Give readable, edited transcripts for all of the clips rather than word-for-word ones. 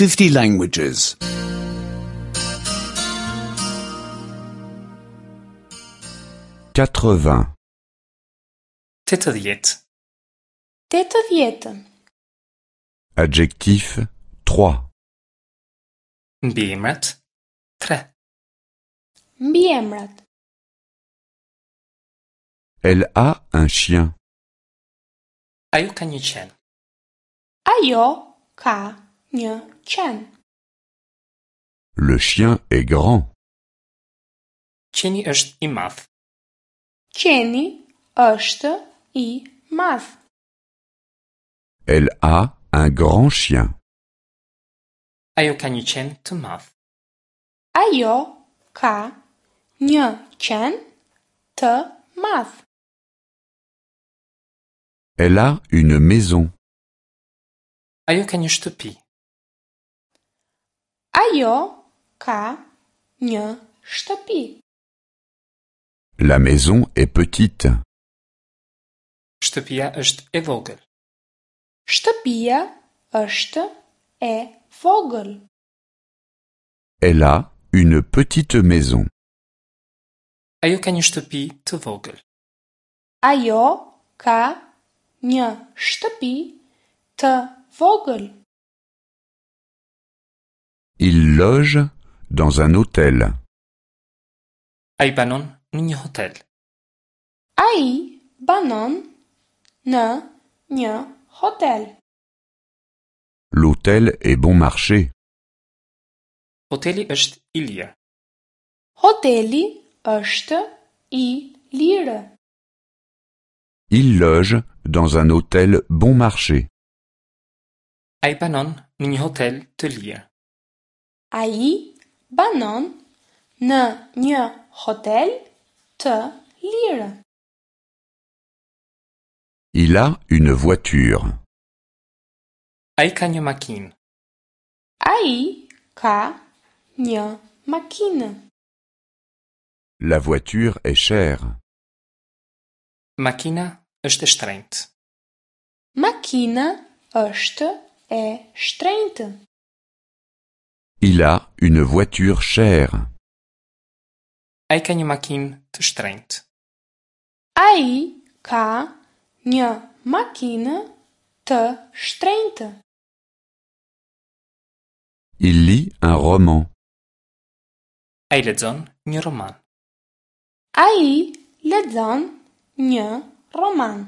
50 languages. 80. 80. 80. Adjectif 3. Mbiemrat 3. Mbiemrat. Elle a un chien. Ajo ka një qen. Ajo ka një qen. Le chien est grand. Qeni është i madh. Qeni është i madh. Elle a un grand chien. Ajo ka një qen të madh. Ajo ka një qen të madh. Elle a une maison. Ajo ka një shtëpi. Ajo ka një shtëpi. La maison est petite. Shtëpia është e vogël. Shtëpia është e vogël. Elle a une petite maison. Ajo ka një shtëpi të vogël. Ajo ka një shtëpi të vogël. Il loge dans un hôtel. Ai banon në një hotel. Ai banon në një hotel. L'hôtel est bon marché. Hoteli është i lirë. Hoteli është i lirë. Il loge dans un hôtel bon marché. Ai banon në një hotel të lirë. Ai banon në një hotel të lirë. Il a une voiture. Ai ka një makinë. Ai ka një makinë. La voiture est chère. Makina është e shtrenjtë. Makina është e shtrenjtë. Il a une voiture chère. Ai ka një makinë të shtrenjtë. Ai ka një makinë të shtrenjtë. Il lit un roman. Ai lexon një roman. Ai lexon një roman.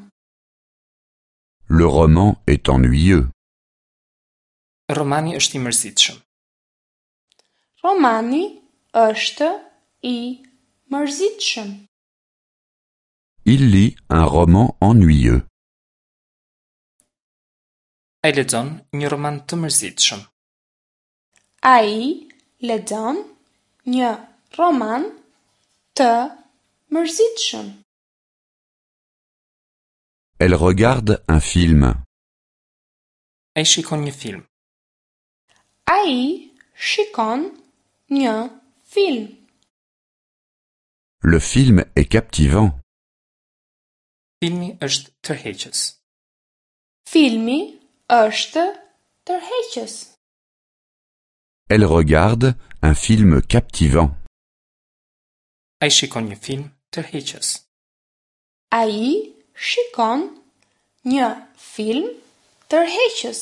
Le roman est ennuyeux. Romani është i mërzitshëm. Romani është i mërzitshëm. Il lit un roman ennuyeux. Ai lexon një roman të mërzitshëm. Ai lexon një roman të mërzitshëm. Elle regarde un film. Ai shikon një film. Ai shikon një film. Le film est captivant. Filmi është tërheqës. Filmi është tërheqës. Elle regarde un film captivant. Ai shikon një film tërheqës. Ai shikon një film tërheqës.